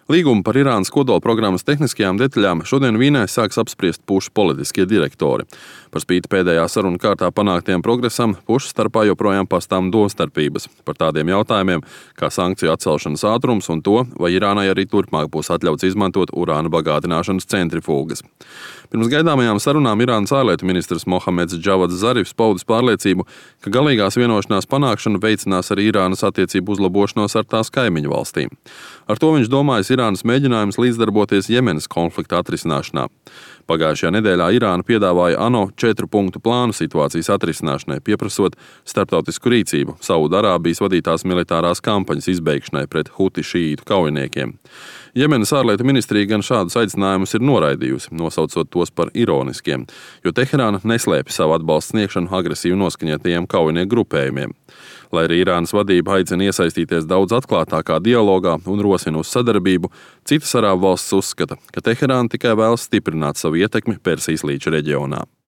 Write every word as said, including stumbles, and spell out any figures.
Līgumu par Irānas kodolprogrammas tehniskajām detaļām šodien Vīnē sāks apspriest pušu politiskie direktori. Par spīti pēdējā sarunu kārtā panāktiem progresam, pušu starpā joprojām pastāv domstarpības par tādiem jautājumiem kā sankciju atcelšanas ātrums un to, vai Irānai arī turpmāk būs atļauts izmantot urāna bagātināšanas centrifūgas. Pirms gaidāmajām sarunām Irānas ārlietu ministrs Mohameds Džavads Zarifs paudis pārliecību, ka galīgās vienošanās panākšana veicinās arī Irānas attiecību uzlabošanos ar tās kaimiņu valstīm. Ar to viņš domājas Irānas mēģinājums līdzdarboties Jemenas konflikta atrisināšanā. Pagājušajā nedēļā Irāna piedāvāja ANO četru punktu plānu situācijas atrisināšanai, pieprasot starptautisku rīcību Saudarābijas vadītās militārās kampaņas izbeigšanai pret huti šīītu kaujiniekiem. Jemenas ārlietu ministrija gan šādus aicinājumus ir noraidījusi, nosaucot tos par ironiskiem, jo Teherāna neslēpj savu atbalstu sniegšanu agresīvi noskaņotajiem kaujinieku grupējumiem. Lai arī Irānas vadība aicina iesaistīties daudz atklātākā dialogā un rosina uz sadarbību, citas arābu valstis uzskata, ka Teherāna tikai vēlas stiprināt savu ietekmi Persijas līča reģionā.